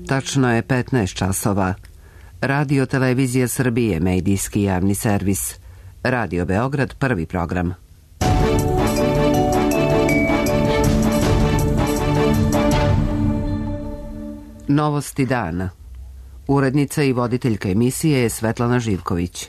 Tačno je 15 časova. Radio Televizija Srbije, medijski javni servis. Radio Beograd, prvi program. Novosti dana. Urednica i voditeljka emisije je Svetlana Živković.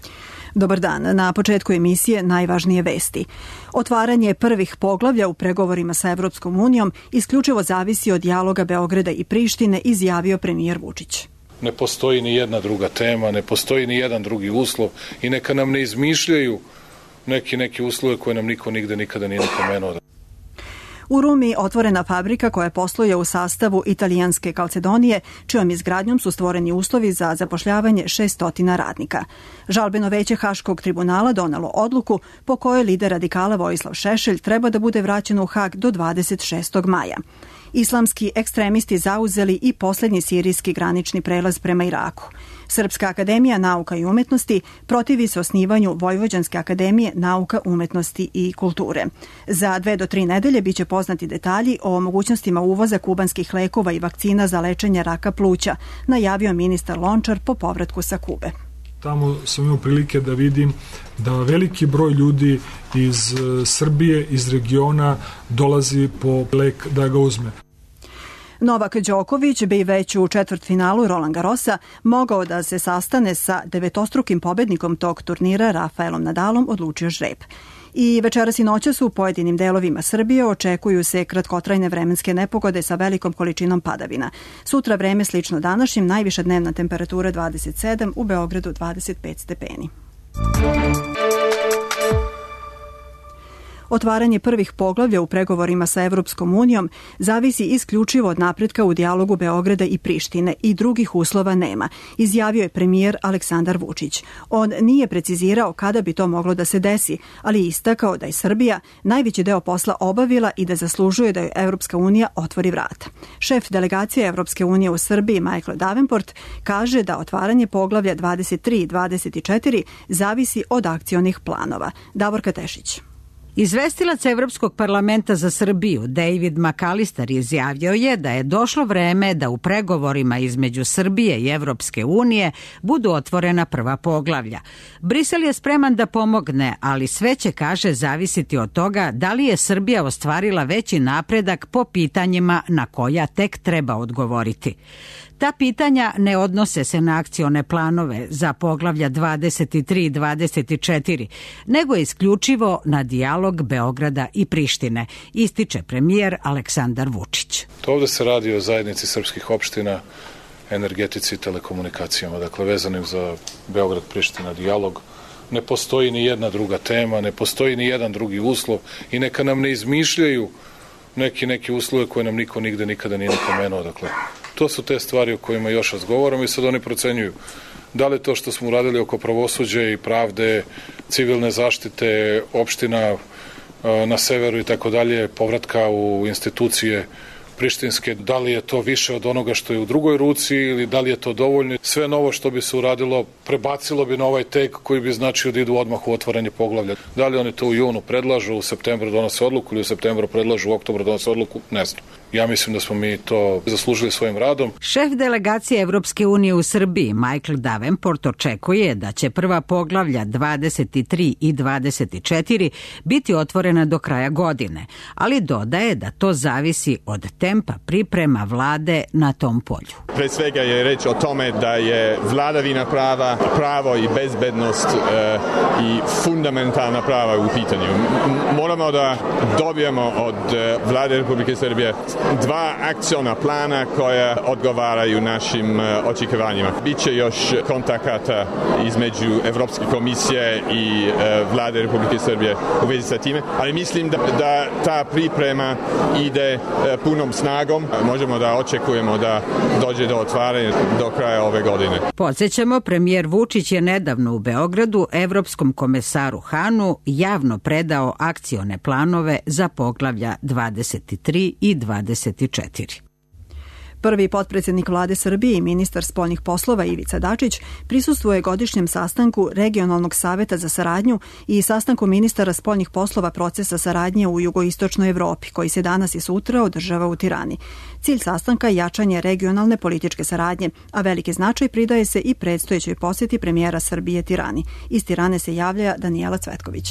Dobar dan. Na početku emisije najvažnije vesti. Otvaranje prvih poglavlja u pregovorima sa Evropskom unijom isključivo zavisi od dijaloga Beograda i Prištine, izjavio premijer Vučić. Ne postoji ni jedna druga tema, ne postoji ni jedan drugi uslov i neka nam ne izmišljaju neki uslove koje nam niko nigde nikada nije napomenuo. U Rumi otvorena fabrika koja posluje u sastavu italijanske Calcedonije, čijom izgradnjom su stvoreni uslovi za zapošljavanje 600 radnika. Žalbeno veće Haškog tribunala donelo odluku po kojoj lider radikala Vojislav Šešelj treba da bude vraćen u Hag do 26. maja. Islamski ekstremisti zauzeli i posljednji sirijski granični prelaz prema Iraku. Srpska akademija nauka i umetnosti protivi se osnivanju Vojvođanske akademije nauka, umetnosti i kulture. Za 2 do 3 nedelje biće poznati detalji o mogućnostima uvoza kubanskih lekova i vakcina za lečenje raka pluća, najavio ministar Lončar po povratku sa Kube. Tamo sam imao prilike da vidim da veliki broj ljudi iz Srbije, iz regiona dolazi po lek da ga uzme. Novak Đoković bi već u četvrtfinalu Roland Garrosa mogao da se sastane sa devetostrukim pobednikom tog turnira Rafaelom Nadalom, odlučio žreb. I večeras i noćas u pojedinim delovima Srbije očekuju se kratkotrajne vremenske nepogode sa velikom količinom padavina. Sutra vreme slično današnjim, najviša dnevna temperatura 27, u Beogradu 25 stepeni. Otvaranje prvih poglavlja u pregovorima sa Evropskom unijom zavisi isključivo od napretka u dijalogu Beograda i Prištine i drugih uslova nema, izjavio je premijer Aleksandar Vučić. On nije precizirao kada bi to moglo da se desi, ali istakao da je Srbija najveći deo posla obavila i da zaslužuje da joj Evropska unija otvori vrata. Šef delegacije Evropske unije u Srbiji Michael Davenport kaže da otvaranje poglavlja 23 i 24 zavisi od akcionih planova. Davorka Tešić. Izvestilac Evropskog parlamenta za Srbiju David McAllister izjavio je da je došlo vreme da u pregovorima između Srbije i Evropske unije budu otvorena prva poglavlja. Brisel je spreman da pomogne, ali sve će, kaže, zavisiti od toga da li je Srbija ostvarila veći napredak po pitanjima na koja tek treba odgovoriti. Ta pitanja ne odnose se na akcione planove za poglavlja 23 i 24, nego isključivo na dijalog Beograda i Prištine, ističe premijer Aleksandar Vučić. Ovde se radi o zajednici srpskih opština, energetici i telekomunikacijama, dakle vezanim za Beograd-Priština dijalog. Ne postoji ni jedna druga tema, ne postoji ni jedan drugi uslov i neka nam ne izmišljaju neki uslove koje nam niko nigde nikada nije napomenuo. Dakle, to su te stvari o kojima još razgovaramo i sad oni procenjuju da li to što smo uradili oko pravosuđa i pravde, civilne zaštite, opština na severu i tako dalje, povratka u institucije prištinske, da li je to više od onoga što je u drugoj ruci ili da li je to dovoljno. Sve novo što bi se uradilo prebacilo bi na ovaj tek koji bi značio da idu odmah u otvaranje poglavlja. Da li oni to u junu predlažu, u septembru donose odluku ili u septembru predlažu, u oktobru donose odluku, ne znam. Ja mislim da smo mi to zaslužili svojim radom. Šef delegacije Evropske unije u Srbiji Michael Davenport očekuje da će prva poglavlja 23 i 24 biti otvorena do kraja godine, ali dodaje da to zavisi od tempa priprema vlade na tom polju. Pre svega je reč o tome da je vladavina prava, pravo i bezbednost i fundamentalna prava u pitanju. Moramo da dobijemo od vlade Republike Srbije 2 akciona plana koja odgovaraju našim očekivanjima. Biće još kontakata između Evropske komisije i vlade Republike Srbije u vezi sa time, ali mislim da ta priprema ide punom snagom. Možemo da očekujemo da dođe do otvaranja do kraja ove godine. Podsjećamo, premijer Vučić je nedavno u Beogradu Evropskom komesaru Hanu javno predao akcione planove za poglavlja 23 i 24. Prvi potpredsjednik vlade Srbije i ministar spoljnih poslova Ivica Dačić prisustvuje godišnjem sastanku Regionalnog saveta za saradnju i sastanku ministara spoljnih poslova procesa saradnje u jugoistočnoj Evropi, koji se danas i sutra održava u Tirani. Cilj sastanka je jačanje regionalne političke saradnje, a veliki značaj pridaje se i predstojećoj posjeti premijera Srbije Tirani. Iz Tirane se javlja Danijela Cvetković.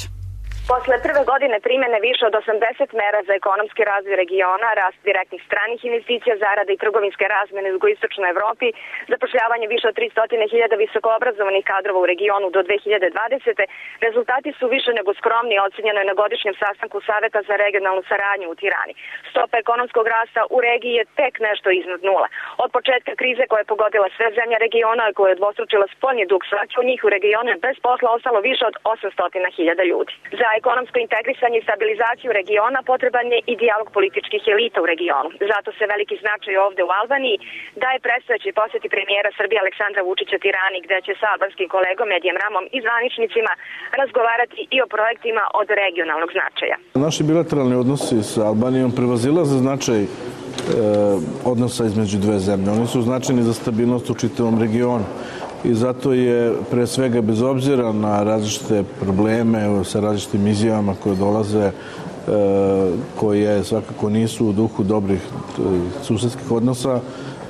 Posle prve godine primjene više od 80 mera za ekonomski razvoj regiona, rast direktnih stranih investicija, zarade i trgovinske razmene u jugoistočnoj Evropi, zapošljavanje više od 300.000 visokoobrazovanih kadrova u regionu do 2020. Rezultati su više nego skromni, ocenjeno je na godišnjem sastanku Saveta za regionalnu saradnju u Tirani. Stopa ekonomskog rasta u regiji je tek nešto iznad nula. Od početka krize koja je pogodila sve zemlje regiona i koja je dvostručila spoljni dug, svaki od njih u regionu je bez posla ostalo više od 800.000 ljudi. Za ekonomsko integrisanje i stabilizaciju regiona potreban je i dijalog političkih elita u regionu. Zato se veliki značaj ovde u Albaniji daje predstojeći posjeti premijera Srbije Aleksandra Vučića Tirani, gde će sa albanskim kolegom Edijem Ramom i zvaničnicima razgovarati i o projektima od regionalnog značaja. Naši bilateralni odnosi sa Albanijom prevazilaze značaj odnosa između dve zemlje. Oni su značajni za stabilnost u čitavom regionu. I zato je pre svega, bez obzira na različite probleme sa različitim izjavama koje dolaze, koje svakako nisu u duhu dobrih susedskih odnosa,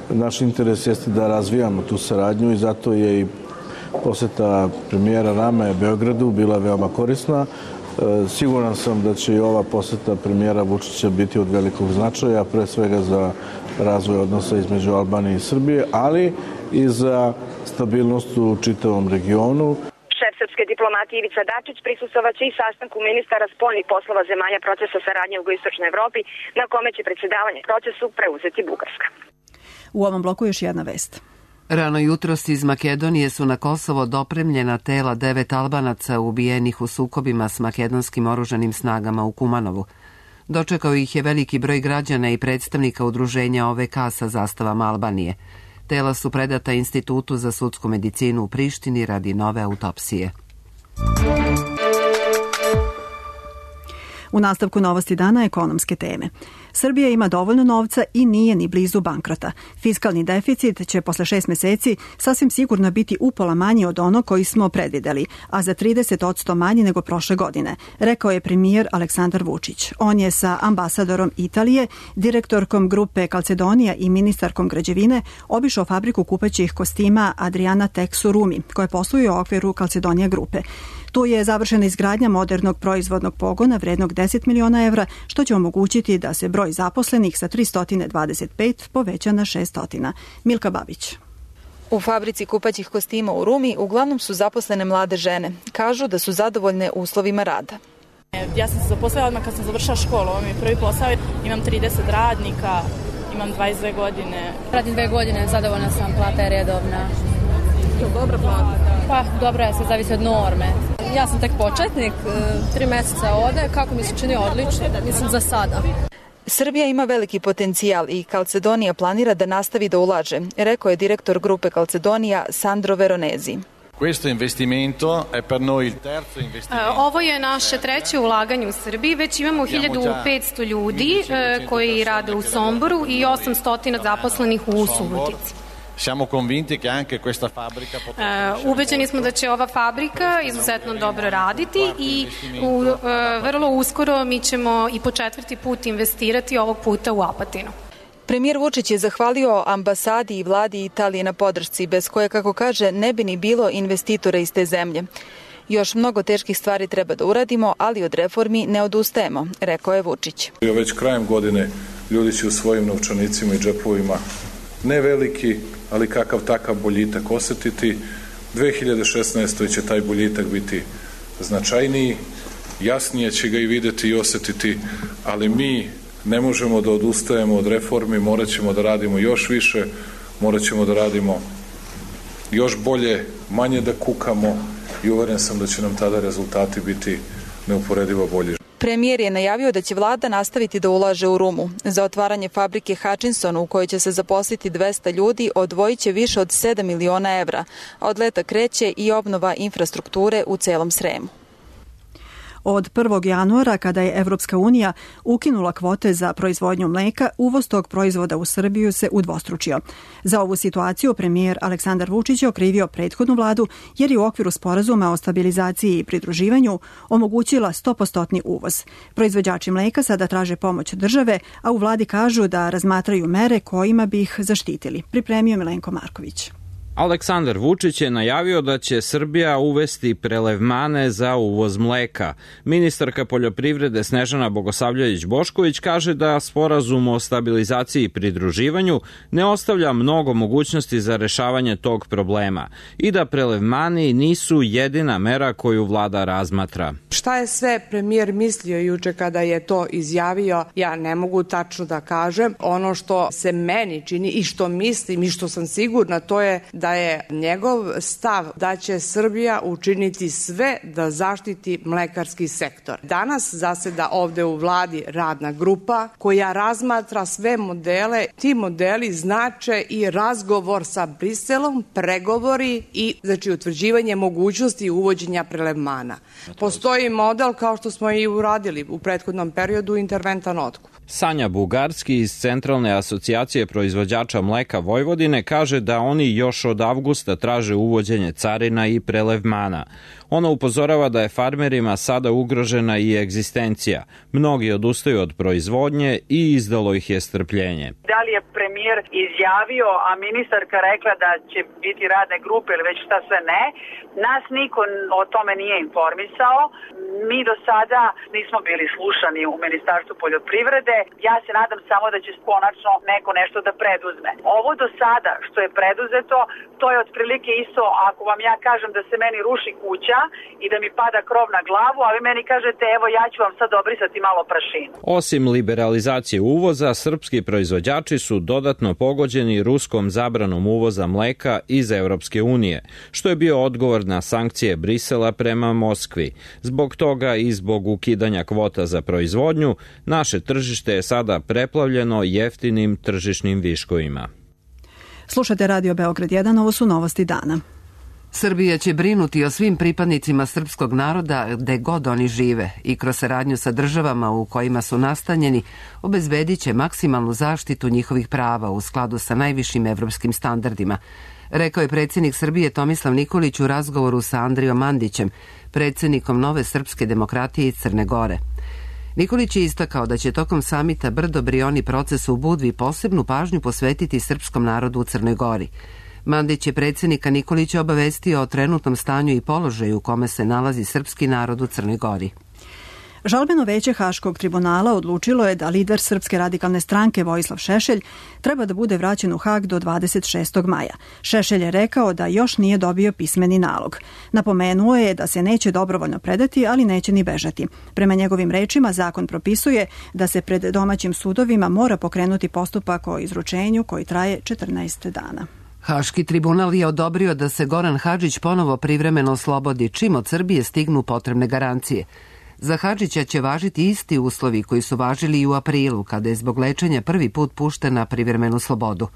naš interes jeste da razvijamo tu saradnju i zato je i poseta premijera Rame Beogradu bila veoma korisna. Siguran sam da će i ova poseta premijera Vučića biti od velikog značaja, pre svega za razvoj odnosa između Albanije i Srbije, ali i za stabilnost u čitavom regionu. Šef srpske diplomatije Ivica Dačić prisustvovaće i sastanku ministara spoljnih poslova zemalja procesa saradnje u jugoistočnoj Evropi, na kome će predsjedavanje procesu preuzeti Bugarska. U ovom bloku još jedna vest. Rano jutros iz Makedonije su na Kosovo dopremljena tela 9 Albanaca ubijenih u sukobima s makedonskim oružanim snagama u Kumanovu. Dočekao ih je veliki broj građana i predstavnika udruženja OVK sa zastavama Albanije. Tela su predata Institutu za sudsku medicinu u Prištini radi nove autopsije. U nastavku novosti dana ekonomske teme. Srbija ima dovoljno novca i nije ni blizu bankrota. Fiskalni deficit će posle 6 meseci sasvim sigurno biti upola manji od onog koji smo predvideli, a za 30% manji nego prošle godine, rekao je premijer Aleksandar Vučić. On je sa ambasadorom Italije, direktorkom grupe Calzedonia i ministarkom građevine obišao fabriku kupaćih kostima Adriana Tex u Rumi, koja posluje u okviru Calzedonia grupe. Tu je završena izgradnja modernog proizvodnog pogona vrednog 10 miliona evra, što će omogućiti da se broj zaposlenih sa 325 poveća na 600. Milka Babić. U fabrici kupaćih kostima u Rumi uglavnom su zaposlene mlade žene. Kažu da su zadovoljne uslovima rada. Ja sam se zaposlila odmah kad sam završila školu. Ovo mi je prvi posao. Imam 30 radnika, imam 22 godine. Radim 2 godine, zadovoljna sam, plata je redovna. Je dobra plata? Pa, dobro je, sve zavisi od norme. Ja sam tek početnik, 3 meseca ode, kako mi se čini odlično, mislim za sada. Srbija ima veliki potencijal i Calzedonia planira da nastavi da ulaže, rekao je direktor grupe Calzedonia Sandro Veronesi. Ovo je naše treće ulaganje u Srbiji, već imamo 1500 ljudi koji rade u Somboru i 800 zaposlenih u Subotici. Ubeđeni smo da će ova fabrika izuzetno dobro raditi i vrlo uskoro mi ćemo i po 4. put investirati ovog puta u Apatinu. Premijer Vučić je zahvalio ambasadi i vladi Italije na podršci, bez koje, kako kaže, ne bi ni bilo investitora iz te zemlje. Još mnogo teških stvari treba da uradimo, ali od reformi ne odustajemo, rekao je Vučić. Već krajem godine ljudi će u svojim novčanicima i džepovima ne veliki, ali kakav takav boljitak osetiti. 2016. će taj boljitak biti značajniji, jasnije će ga i videti i osetiti, ali mi ne možemo da odustajemo od reformi, morat ćemo da radimo još više, morat ćemo da radimo još bolje, manje da kukamo i uveren sam da će nam tada rezultati biti neuporedivo bolji. Premijer je najavio da će vlada nastaviti da ulaže u Rumu. Za otvaranje fabrike Hutchinson, u kojoj će se zaposliti 200 ljudi, odvojit će više od 7 miliona evra. Od leta kreće i obnova infrastrukture u celom Sremu. Od 1. januara, kada je Evropska unija ukinula kvote za proizvodnju mleka, uvoz tog proizvoda u Srbiju se udvostručio. Za ovu situaciju premijer Aleksandar Vučić je okrivio prethodnu vladu jer je u okviru sporazuma o stabilizaciji i pridruživanju omogućila 100% uvoz. Proizvođači mleka sada traže pomoć države, a u vladi kažu da razmatraju mere kojima bi ih zaštitili. Pripremio Milenko Marković. Aleksandar Vučić je najavio da će Srbija uvesti prelevmane za uvoz mleka. Ministarka poljoprivrede Snežana Bogosavljević-Bošković kaže da sporazum o stabilizaciji i pridruživanju ne ostavlja mnogo mogućnosti za rešavanje tog problema i da prelevmani nisu jedina mera koju vlada razmatra. Šta je sve premijer mislio juče kada je to izjavio, ja ne mogu tačno da kažem. Ono što se meni čini i što mislim i što sam sigurna, to je da je njegov stav da će Srbija učiniti sve da zaštiti mlekarski sektor. Danas zaseda ovde u vladi radna grupa koja razmatra sve modele. Ti modeli znače i razgovor sa Briselom, pregovori i utvrđivanje mogućnosti uvođenja prelevmana. Postoji model kao što smo i uradili u prethodnom periodu, interventan otkup. Sanja Bugarski iz Centralne asocijacije proizvođača mleka Vojvodine kaže da oni još od avgusta traže uvođenje carina i prelevmana. Ona upozorava da je farmerima sada ugrožena i egzistencija. Mnogi odustaju od proizvodnje i izdalo ih je strpljenje. Da li je premijer izjavio, a ministarka rekla da će biti radne grupe ili već šta sve ne, nas niko o tome nije informisao. Mi do sada nismo bili slušani u Ministarstvu poljoprivrede. Ja se nadam samo da će konačno neko nešto da preduzme. Ovo do sada što je preduzeto, to je otprilike isto ako vam ja kažem da se meni ruši kuća i da mi pada krov na glavu, a vi meni kažete evo ja ću vam sad obrisati malo prašinu. Osim liberalizacije uvoza, srpski proizvođači su dodatno pogođeni ruskom zabranom uvoza mleka iz Evropske unije, što je bio odgovor na sankcije Brisela prema Moskvi. Zbog toga i zbog ukidanja kvota za proizvodnju, naše tržište je sada preplavljeno jeftinim tržišnim viškovima. Slušate Radio Beograd 1, ovo su novosti dana. Srbija će brinuti o svim pripadnicima srpskog naroda gde god oni žive i kroz saradnju sa državama u kojima su nastanjeni obezbedit će maksimalnu zaštitu njihovih prava u skladu sa najvišim evropskim standardima, rekao je predsjednik Srbije Tomislav Nikolić u razgovoru sa Andrijom Mandićem, predsjednikom Nove srpske demokratije iz Crne Gore. Nikolić je istakao da će tokom samita Brdo-Brioni procesu u Budvi posebnu pažnju posvetiti srpskom narodu u Crnoj Gori. Mandić je predsjednika Nikolića obavestio o trenutnom stanju i položaju u kome se nalazi srpski narod u Crnoj Gori. Žalbeno veće Haškog tribunala odlučilo je da lider Srpske radikalne stranke Vojislav Šešelj treba da bude vraćen u Hag do 26. maja. Šešelj je rekao da još nije dobio pismeni nalog. Napomenuo je da se neće dobrovoljno predati, ali neće ni bežati. Prema njegovim rečima, zakon propisuje da se pred domaćim sudovima mora pokrenuti postupak o izručenju koji traje 14 dana. Haški tribunal je odobrio da se Goran Hadžić ponovo privremeno oslobodi čim od Srbije stignu potrebne garancije. Za Hadžića će važiti isti uslovi koji su važili i u aprilu, kada je zbog lečenja prvi put pušten na privremenu slobodu.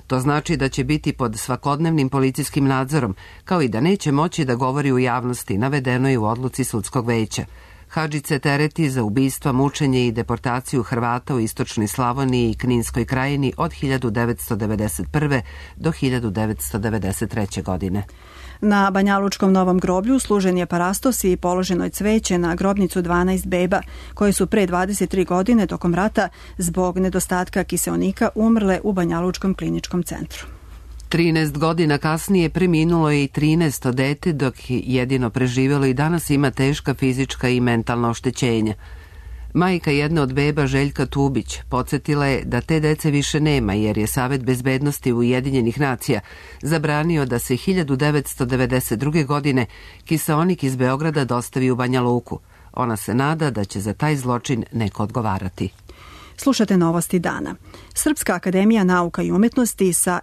To znači da će biti pod svakodnevnim policijskim nadzorom, kao i da neće moći da govori u javnosti, navedeno je u odluci sudskog veća. Hadžić se tereti za ubistva, mučenje i deportaciju Hrvata u istočnoj Slavoniji i Kninskoj krajini od 1991. do 1993. godine. Na Banjalučkom Novom groblju služen je parastos i položeno je cveće na grobnicu 12 beba, koje su pre 23 godine tokom rata zbog nedostatka kiseonika umrle u Banjalučkom kliničkom centru. 13 godina kasnije preminulo je i 13. dete, dok jedino preživjelo i danas ima teška fizička i mentalna oštećenja. Majka jedne od beba, Željka Tubić, podsjetila je da te dece više nema jer je Savet bezbednosti Ujedinjenih nacija zabranio da se 1992. godine kiseonik iz Beograda dostavi u Banja Luku. Ona se nada da će za taj zločin neko odgovarati. Slušate novosti dana. Srpska akademija nauka i umetnosti sa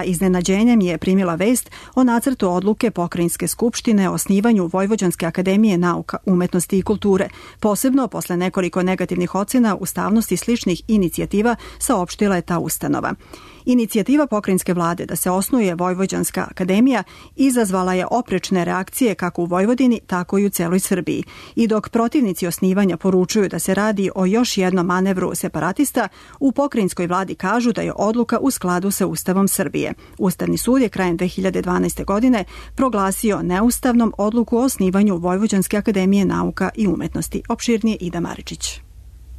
iznenađenjem je primila vest o nacrtu odluke Pokrajinske skupštine o osnivanju Vojvođanske akademije nauka, umetnosti i kulture, posebno posle nekoliko negativnih ocena ustavnosti sličnih inicijativa saopštila je ta ustanova. Inicijativa pokrajinske vlade da se osnuje Vojvođanska akademija izazvala je oprečne reakcije kako u Vojvodini, tako i u celoj Srbiji. I dok protivnici osnivanja poručuju da se radi o još jednom manevru separatista, u pokrajinskoj vladi kažu da je odluka u skladu sa Ustavom Srbije. Ustavni sud je krajem 2012. godine proglasio neustavnom odluku o osnivanju Vojvođanske akademije nauka i umetnosti. Opširnije Ida Maričić.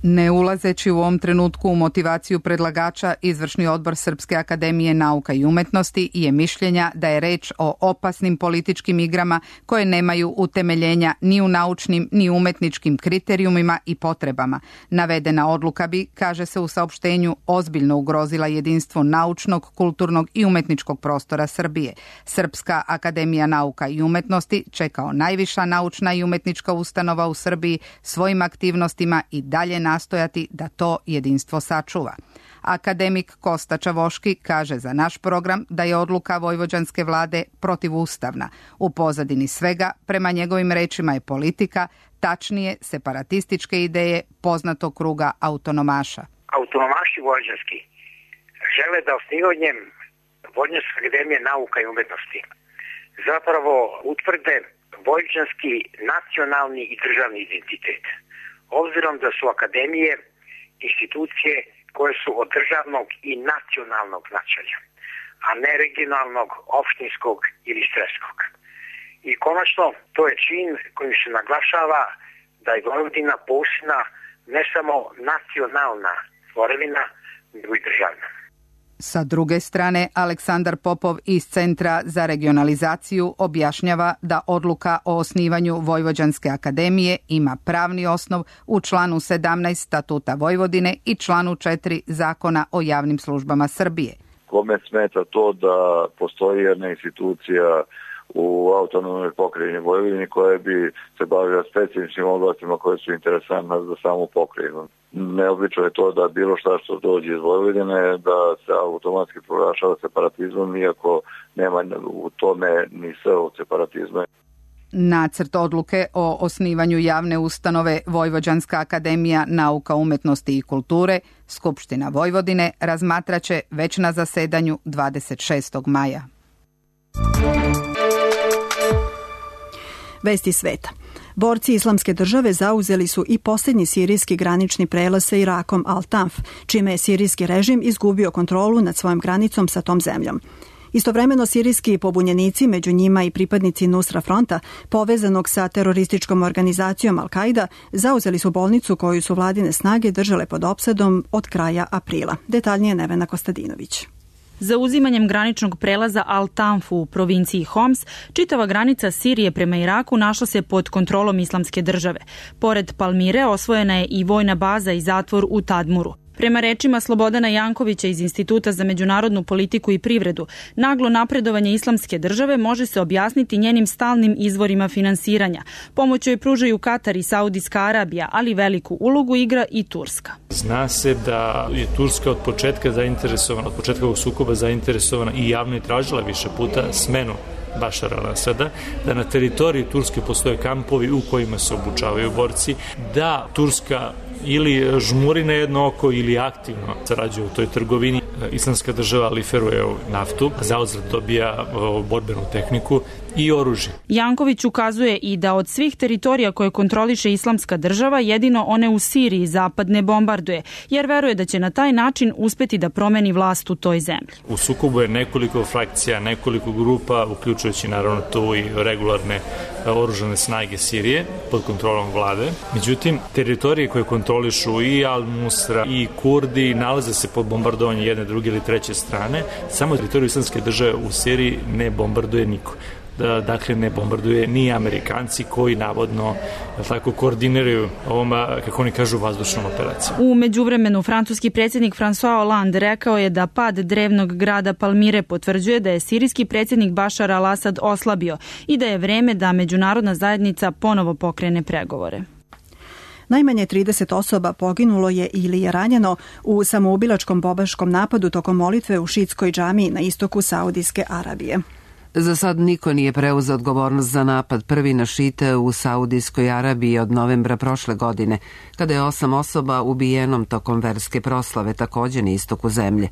Ne ulazeći u ovom trenutku u motivaciju predlagača, Izvršni odbor Srpske akademije nauka i umetnosti je mišljenja da je reč o opasnim političkim igrama koje nemaju utemeljenja ni u naučnim ni umetničkim kriterijumima i potrebama. Navedena odluka bi, kaže se u saopštenju, ozbiljno ugrozila jedinstvo naučnog, kulturnog i umetničkog prostora Srbije. Srpska akademija nauka i umetnosti će kao najviša naučna i umetnička ustanova u Srbiji svojim aktivnostima i dalje nastojati da to jedinstvo sačuva. Akademik Kosta Čavoški kaže za naš program da je odluka vojvođanske vlade protivustavna. U pozadini svega, prema njegovim rečima, je politika, tačnije separatističke ideje poznatog kruga autonomaša. Autonomaši vojvođanski žele da osnivanjem Vojvođanske akademije nauka i umetnosti zapravo utvrde vojvođanski nacionalni i državni identitet. Obzirom da su akademije institucije koje su od državnog i nacionalnog značaja, a ne regionalnog, opštinskog ili sredskog. I konačno, to je čin kojim se naglašava da je Vojvodina posebna ne samo nacionalna tvorevina, nego i državna. Sa druge strane, Aleksandar Popov iz Centra za regionalizaciju objašnjava da odluka o osnivanju Vojvođanske akademije ima pravni osnov u članu 17 Statuta Vojvodine i članu 4 Zakona o javnim službama Srbije. Kome smeta to da postoji jedna institucija u autonomnoj pokrajini Vojvodini koja bi se bavila specifičnim oblastima koje su interesantne za samu pokrajinu. Neobično je to da bilo šta što dođe iz Vojvodine da se automatski proglašava separatizmom, iako nema u tome ni s od separatizma. Nacrt odluke o osnivanju javne ustanove Vojvođanska akademija nauka, umetnosti i kulture Skupština Vojvodine razmatraće već na zasedanju 26. maja. Vesti sveta. Borci Islamske države zauzeli su i posljednji sirijski granični prelaz sa Irakom Al-Tanf, čime je sirijski režim izgubio kontrolu nad svojom granicom sa tom zemljom. Istovremeno sirijski pobunjenici, među njima i pripadnici Nusra fronta, povezanog sa terorističkom organizacijom Al-Qaida, zauzeli su bolnicu koju su vladine snage držale pod opsadom od kraja aprila. Detaljnije Nevena Kostadinović. Zauzimanjem graničnog prelaza Al-Tanf u provinciji Homs, čitava granica Sirije prema Iraku našla se pod kontrolom Islamske države. Pored Palmire osvojena je i vojna baza i zatvor u Tadmuru. Prema rečima Slobodana Jankovića iz Instituta za međunarodnu politiku i privredu, naglo napredovanje Islamske države može se objasniti njenim stalnim izvorima finansiranja. Pomoć joj pružaju Katar i Saudijska Arabija, ali veliku ulogu igra i Turska. Zna se da je Turska od početka zainteresovana, od početka ovog sukoba zainteresovana i javno je tražila više puta smenu Bašara al-Asada, da na teritoriji Turske postoje kampovi u kojima se obučavaju borci, da Turska ili žmuri na jedno oko ili aktivno sarađuje u toj trgovini. Islamska država liferuje naftu, zauzvrat dobija borbenu tehniku i oružje. Janković ukazuje i da od svih teritorija koje kontroliše Islamska država, jedino one u Siriji zapad ne bombarduje, jer veruje da će na taj način uspeti da promeni vlast u toj zemlji. U sukobu je nekoliko frakcija, nekoliko grupa, uključujući naravno tu i regularne oružane snage Sirije pod kontrolom vlade. Međutim, teritorije koje kontrolišu i Al-Nusra i Kurdi nalaze se pod bombardovanje jedne, druge ili treće strane. Samo teritoriju Islamske države u Siriji ne bombarduje niko. Dakle, ne bombarduje ni Amerikanci koji navodno tako koordiniraju ovom, kako oni kažu, vazdušnom operacijom. U međuvremenu, francuski predsjednik François Hollande rekao je da pad drevnog grada Palmire potvrđuje da je sirijski predsjednik Bašar al-Asad oslabio i da je vreme da međunarodna zajednica ponovo pokrene pregovore. Najmanje 30 osoba poginulo je ili je ranjeno u samoubilačkom bombaškom napadu tokom molitve u šitskoj džamiji na istoku Saudijske Arabije. Za sad niko nije preuzeo odgovornost za napad prvi na šite u Saudijskoj Arabiji od novembra prošle godine, kada je 8 osoba ubijenom tokom verske proslave također na istoku zemlje.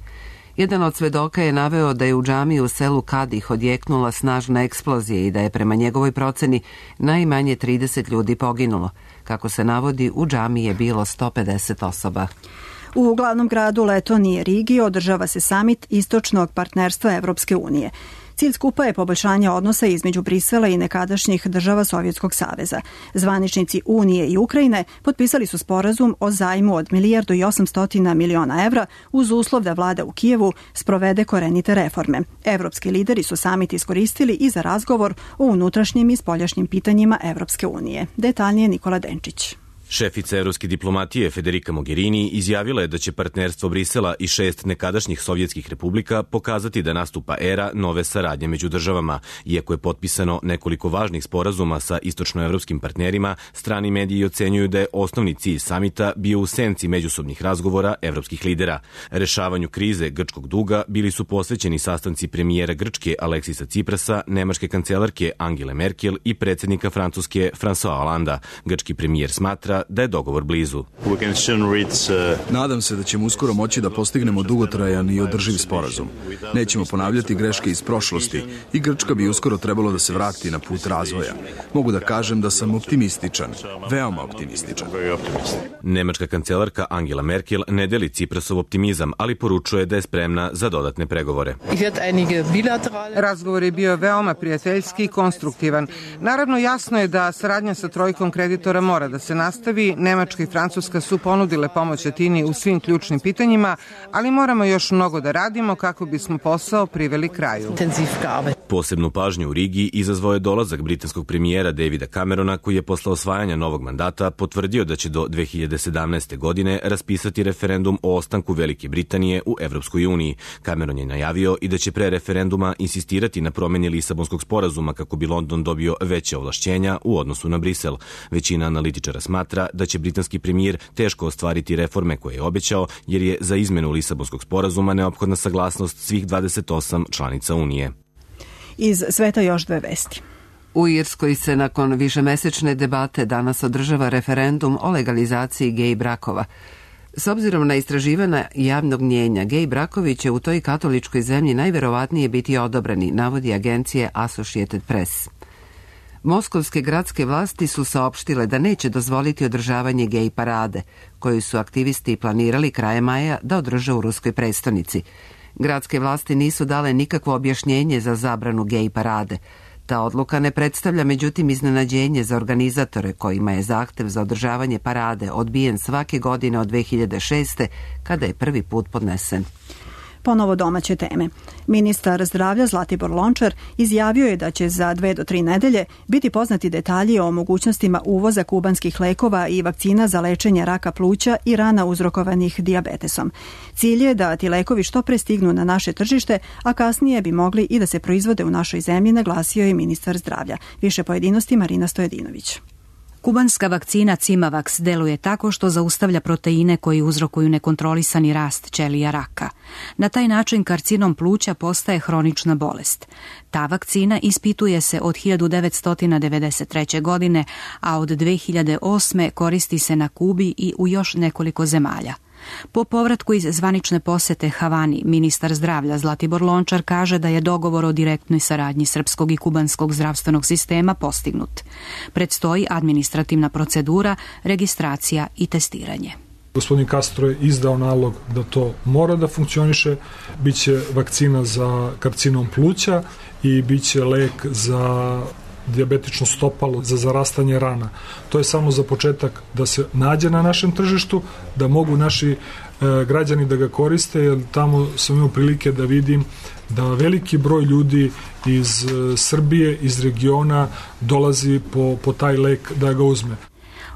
Jedan od svedoka je naveo da je u džamiji u selu Kadih odjeknula snažna eksplozija i da je prema njegovoj proceni najmanje 30 ljudi poginulo. Kako se navodi, u džamiji je bilo 150 osoba. U glavnom gradu Letonije, Rigi, održava se samit Istočnog partnerstva Evropske unije. Cilj skupa je poboljšanje odnosa između Brisela i nekadašnjih država Sovjetskog saveza. Zvaničnici Unije i Ukrajine potpisali su sporazum o zajmu od 1.800 miliona evra uz uslov da vlada u Kijevu sprovede korenite reforme. Evropski lideri su samit iskoristili i za razgovor o unutrašnjim i spoljašnjim pitanjima Evropske unije. Detaljnije Nikola Denčić. Šefica evropske diplomatije Federica Mogherini izjavila je da će partnerstvo Brisela i 6 nekadašnjih sovjetskih republika pokazati da nastupa era nove saradnje među državama. Iako je potpisano nekoliko važnih sporazuma sa istočnoevropskim partnerima, strani mediji ocenjuju da je osnovni cilj samita bio u senci međusobnih razgovora evropskih lidera. Rešavanju krize grčkog duga bili su posvećeni sastanci premijera Grčke Aleksisa Ciprasa, nemačke kancelarke Angele Merkel i predsjednika Francuske François Hollanda. Grčki premijer smatra da je dogovor blizu. Nadam se da ćemo uskoro moći da postignemo dugotrajan i održiv sporazum. Nećemo ponavljati greške iz prošlosti i Grčka bi uskoro trebalo da se vrati na put razvoja. Mogu da kažem da sam optimističan, veoma optimističan. Nemačka kancelarka Angela Merkel ne deli Ciprasov optimizam, ali poručuje da je spremna za dodatne pregovore. Razgovor je bio veoma prijateljski i konstruktivan. Naravno, jasno je da saradnja sa trojkom kreditora mora da se nastavi. Nemačka i Francuska su ponudile pomoć Atini u svim ključnim pitanjima, ali moramo još mnogo da radimo kako bismo posao priveli kraju. Posebnu pažnju u Rigi izazvao je dolazak britanskog premijera Davida Camerona, koji je posle osvajanja novog mandata potvrdio da će do 2017. godine raspisati referendum o ostanku Velike Britanije u Evropskoj uniji. Cameron je najavio i da će pre referenduma insistirati na promeni Lisabonskog sporazuma kako bi London dobio veće ovlašćenja u odnosu na Brisel. Većina analitičara smatra da će britanski premijer teško ostvariti reforme koje je obećao, jer je za izmenu Lisabonskog sporazuma neophodna saglasnost svih 28 članica Unije. Iz sveta još dve vesti. U Irskoj se nakon višemesečne debate danas održava referendum o legalizaciji gej brakova. S obzirom na istraživanja javnog mnjenja, gej brakovi će u toj katoličkoj zemlji najverovatnije biti odobreni, navodi agencije Associated Press. Moskovske gradske vlasti su saopštile da neće dozvoliti održavanje gej parade, koju su aktivisti planirali krajem maja da održe u ruskoj prestonici. Gradske vlasti nisu dale nikakvo objašnjenje za zabranu gej parade. Ta odluka ne predstavlja međutim iznenađenje za organizatore kojima je zahtev za održavanje parade odbijen svake godine od 2006. kada je prvi put podnesen. Ponovo domaće teme. Ministar zdravlja Zlatibor Lončar izjavio je da će za 2 do 3 nedelje biti poznati detalji o mogućnostima uvoza kubanskih lekova i vakcina za lečenje raka pluća i rana uzrokovanih dijabetesom. Cilj je da ti lekovi što pre stignu na naše tržište, a kasnije bi mogli i da se proizvode u našoj zemlji, naglasio je ministar zdravlja. Više pojedinosti Marina Stojedinović. Kubanska vakcina Cimavax deluje tako što zaustavlja proteine koji uzrokuju nekontrolisani rast ćelija raka. Na taj način karcinom pluća postaje hronična bolest. Ta vakcina ispituje se od 1993. godine, a od 2008. koristi se na Kubi i u još nekoliko zemalja. Po povratku iz zvanične posete Havani, ministar zdravlja Zlatibor Lončar kaže da je dogovor o direktnoj saradnji srpskog i kubanskog zdravstvenog sistema postignut. Predstoji administrativna procedura, registracija i testiranje. Gospodin Castro je izdao nalog da to mora da funkcioniše, biće vakcina za karcinom pluća i biće lek za dijabetično stopalo, za zarastanje rana. To je samo za početak da se nađe na našem tržištu, da mogu naši građani da ga koriste, jer tamo sam imao prilike da vidim da veliki broj ljudi iz Srbije, iz regiona dolazi po taj lek da ga uzme.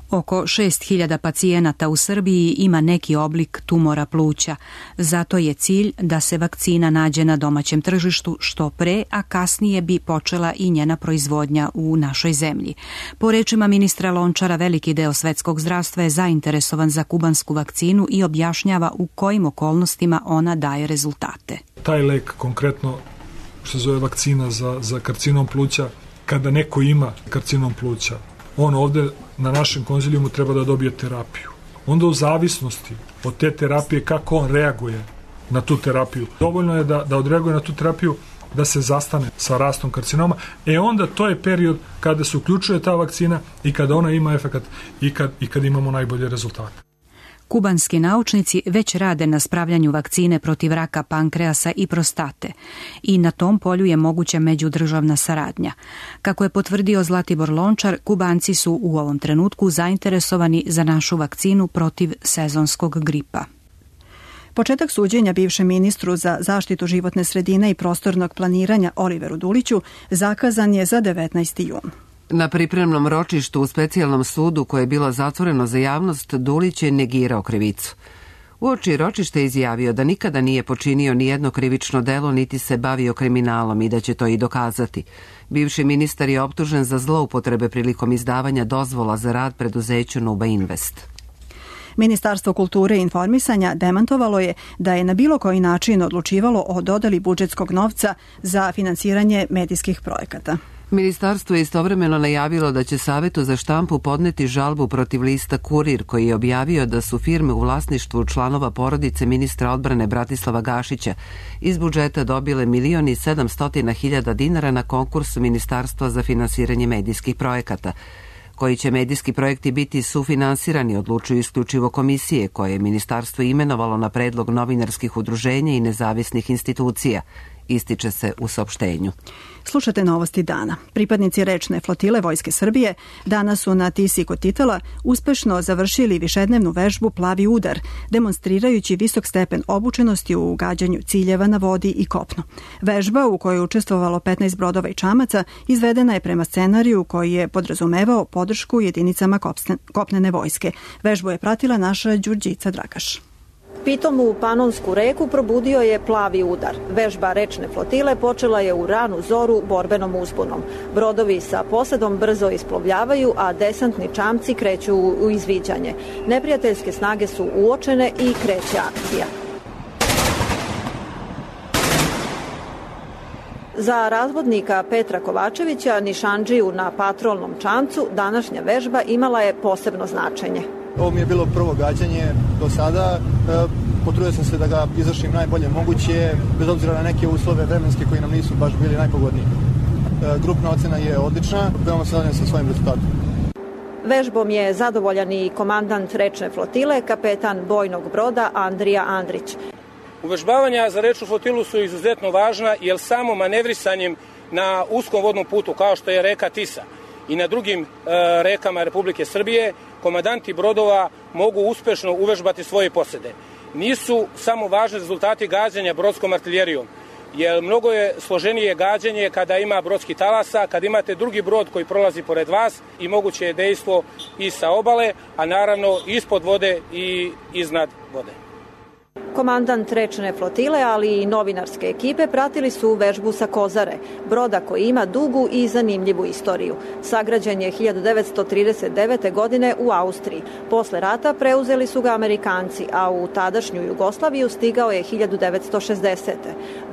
Oko 6.000 pacijenata u Srbiji ima neki oblik tumora pluća. Zato je cilj da se vakcina nađe na domaćem tržištu što pre, a kasnije bi počela i njena proizvodnja u našoj zemlji. Po rečima ministra Lončara, veliki deo svetskog zdravstva je zainteresovan za kubansku vakcinu i objašnjava u kojim okolnostima ona daje rezultate. Taj lek konkretno, što se zove vakcina za karcinom pluća, kada neko ima karcinom pluća, on ovde na našem konzilijumu treba da dobije terapiju. Onda u zavisnosti od te terapije kako on reaguje na tu terapiju. Dovoljno je da odreaguje na tu terapiju da se zastane sa rastom karcinoma, onda to je period kada se uključuje ta vakcina i kada ona ima efekat i kad imamo najbolje rezultate. Kubanski naučnici već rade na spravljanju vakcine protiv raka pankreasa i prostate i na tom polju je moguća međudržavna saradnja. Kako je potvrdio Zlatibor Lončar, Kubanci su u ovom trenutku zainteresovani za našu vakcinu protiv sezonskog gripa. Početak suđenja bivšem ministru za zaštitu životne sredine i prostornog planiranja Oliveru Duliću zakazan je za 19. jun. Na pripremnom ročištu u specijalnom sudu koje je bilo zatvoreno za javnost, Dulić je negirao krivicu. Uoči ročište izjavio da nikada nije počinio nijedno krivično delo niti se bavio kriminalom i da će to i dokazati. Bivši ministar je optužen za zloupotrebe prilikom izdavanja dozvola za rad preduzeću Nuba Invest. Ministarstvo kulture i informisanja demantovalo je da je na bilo koji način odlučivalo o dodeli budžetskog novca za finansiranje medijskih projekata. Ministarstvo je istovremeno najavilo da će Savetu za štampu podneti žalbu protiv lista Kurir, koji je objavio da su firme u vlasništvu članova porodice ministra odbrane Bratislava Gašića iz budžeta dobile 1.700.000 dinara na konkursu Ministarstva za finansiranje medijskih projekata. Koji će medijski projekti biti sufinansirani, odlučuju isključivo komisije koje je ministarstvo imenovalo na predlog novinarskih udruženja i nezavisnih institucija, ističe se u saopštenju. Slušate novosti dana. Pripadnici rečne flotile Vojske Srbije danas su na Tisi kod Titela uspešno završili višednevnu vežbu Plavi udar, demonstrirajući visok stepen obučenosti u gađanju ciljeva na vodi i kopnu. Vežba, u kojoj je učestvovalo 15 brodova i čamaca, izvedena je prema scenariju koji je podrazumevao podršku jedinicama kopnene vojske. Vežbu je pratila naša Đurđica Dragaš. Pitomu Panonsku reku probudio je Plavi udar. Vežba rečne flotile počela je u ranu zoru borbenom uzbunom. Brodovi sa posadom brzo isplovljavaju, a desantni čamci kreću u izviđanje. Neprijateljske snage su uočene i kreće akcija. Za razvodnika Petra Kovačevića, nišandžiju na patrolnom čamcu, današnja vežba imala je posebno značenje. Ovo mi je bilo prvo gađanje do sada. Potrudio sam se da ga izvršim najbolje moguće, bez obzira na neke uslove vremenske koji nam nisu baš bili najpogodniji. Grupna ocena je odlična, veoma se zadovoljan sa svojim rezultatom. Vežbom je zadovoljan i komandant rečne flotile, kapetan bojnog broda Andrija Andrić. Uvežbavanja za rečnu flotilu su izuzetno važna, jer samo manevrisanjem na uskom vodnom putu, kao što je reka Tisa i na drugim rekama Republike Srbije, komandanti brodova mogu uspešno uvežbati svoje posede. Nisu samo važni rezultati gađanja brodskom artiljerijom, jer mnogo je složenije gađanje kada ima brodski talasa, kada imate drugi brod koji prolazi pored vas i moguće je dejstvo i sa obale, a naravno ispod vode i iznad vode. Komandant rečne flotile, ali i novinarske ekipe pratili su vežbu sa Kozare, broda koji ima dugu i zanimljivu istoriju. Sagrađen je 1939. godine u Austriji. Posle rata preuzeli su ga Amerikanci, a u tadašnju Jugoslaviju stigao je 1960.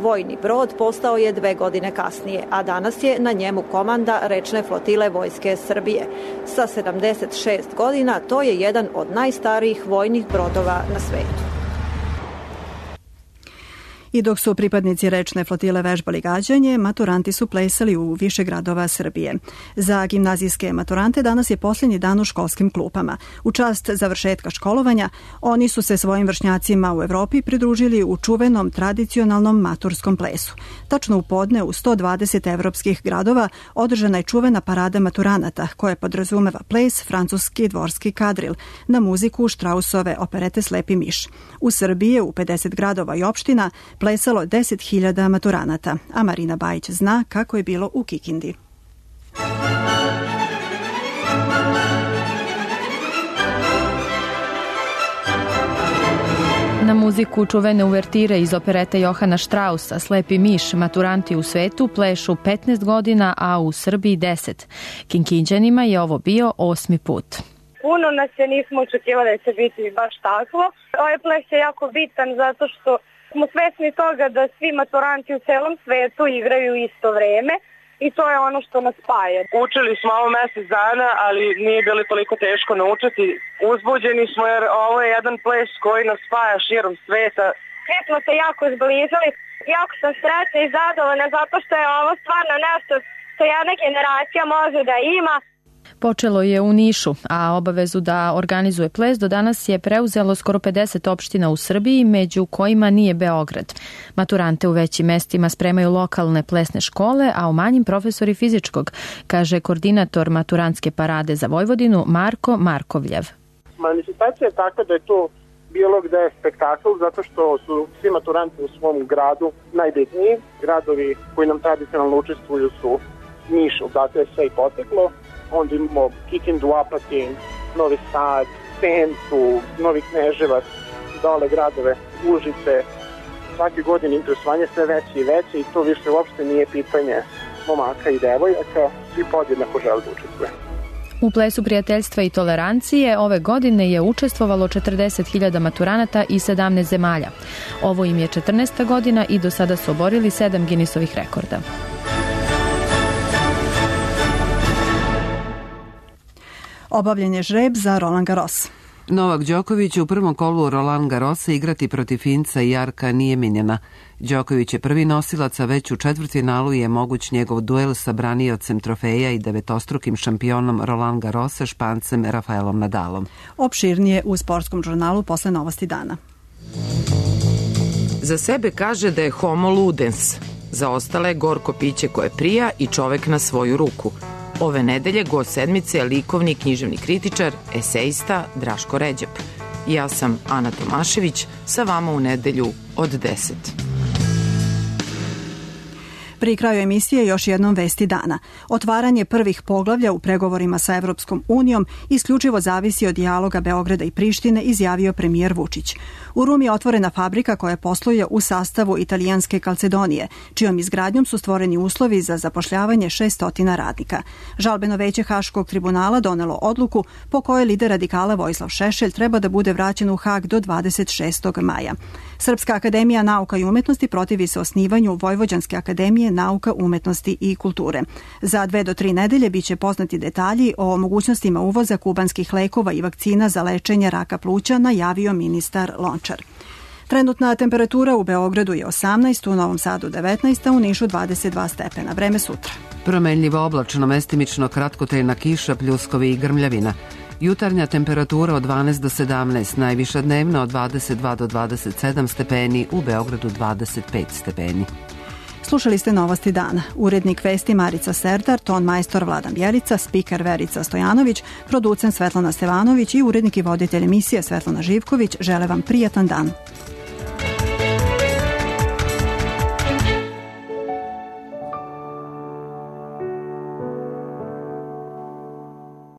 Vojni brod postao je 2 godine kasnije, a danas je na njemu komanda rečne flotile Vojske Srbije. Sa 76 godina to je jedan od najstarijih vojnih brodova na svetu. I dok su pripadnici rečne flotile vežbali gađanje, maturanti su plesali u više gradova Srbije. Za gimnazijske maturante danas je posljednji dan u školskim klupama. U čast završetka školovanja, oni su se svojim vršnjacima u Evropi pridružili u čuvenom tradicionalnom maturskom plesu. Tačno u podne u 120 evropskih gradova održana je čuvena parada maturanata, koja podrazumeva ples, francuski dvorski kadril, na muziku Štrausove operete Slepi miš. U Srbiji u 50 gradova i opština plesalo 10.000 maturanata, a Marina Bajić zna kako je bilo u Kikindi. Na muziku čuvene uvertire iz operete Johana Štrausa Slepi miš maturanti u svetu plešu 15 godina, a u Srbiji 10. Kinkinđanima je ovo bio 8. put. Puno nas je nismo očekivali da će biti baš takvo. Ovaj ples je jako bitan zato što smo svesni toga da svi maturanti u celom svetu igraju isto vreme i to je ono što nas spaja. Učili smo ovo mesec dana, ali nije bilo toliko teško naučiti. Uzbuđeni smo jer ovo je jedan ples koji nas spaja širom sveta Svi smo se jako zbližili. Jako sam srećna i zadovoljna zato što je ovo stvarno nešto što jedna generacija može da ima. Počelo je u Nišu, a obavezu da organizuje ples do danas je preuzelo skoro 50 opština u Srbiji, među kojima nije Beograd. Maturante u većim mestima spremaju lokalne plesne škole, a u manjim profesori fizičkog, kaže koordinator maturantske parade za Vojvodinu Marko Markovljev. Manifestacija je takva da je to bilo gde je spektakl, zato što su svi maturanti u svom gradu najbitniji. Gradovi koji nam tradicionalno učestvuju su Niš, zato je sve i poteklo. Onda imamo Kikindu, Apatin, Novi Sad, Sentu, Novi Kneževac, dole gradove, Užice. Svake godine interesovanje sve veće i veće i to više uopšte nije pitanje momaka i devojaka, svi podjednako žele da učestvuje. U plesu prijateljstva i tolerancije ove godine je učestvovalo 40.000 maturanata iz 17 zemalja. Ovo im je 14. godina i do sada su oborili 7 Guinnessovih rekorda. Obavljen je žreb za Roland Garros. Novak Đoković u prvom kolu Roland Garrosa igrati protiv Finca Jarka Nieminena. Đoković je prvi nosilac, a već u četvrtfinalu je moguć njegov duel sa braniocem trofeja i devetostrukim šampionom Roland Garrosa, Špancem Rafaelom Nadalom. Opširnije u sportskom žurnalu posle novosti dana. Za sebe kaže da je homo ludens, za ostale gorko piće koje prija i čovek na svoju ruku. Ove nedelje gost sedmice je likovni i književni kritičar, esejista Draško Ređep. Ja sam Ana Tomašević, sa vama u nedelju od 10. Pri kraju emisije još jednom vesti dana. Otvaranje prvih poglavlja u pregovorima sa Evropskom unijom isključivo zavisi od dijaloga Beograda i Prištine, izjavio premijer Vučić. U Rumi je otvorena fabrika koja posluje u sastavu italijanske Calcedonije, čijom izgradnjom su stvoreni uslovi za zapošljavanje 600 radnika. Žalbeno veće Haškog tribunala donelo odluku po kojoj lider radikala Vojislav Šešelj treba da bude vraćen u Hag do 26. maja. Srpska akademija nauka i umetnosti protivi se osnivanju Vojvođanske akademije nauka, umetnosti i kulture. Za 2 do 3 nedelje biće poznati detalji o mogućnostima uvoza kubanskih lekova i vakcina za lečenje raka pluća, najavio ministar Lončar. Trenutna temperatura u Beogradu je 18, u Novom Sadu 19, a u Nišu 22 stepena. Vreme sutra. Promenljivo oblačno, mestimično kratkotrajna kiša, pljuskovi i grmljavina. Jutarnja temperatura od 12 do 17, najviša dnevna od 22 do 27 stepeni, u Beogradu 25 stepeni. Slušali ste novosti dana. Urednik vesti Marica Serdar, ton majstor Vladan Bjelica, spiker Verica Stojanović, producent Svetlana Stevanović i urednik i voditelj emisije Svetlana Živković žele vam prijatan dan.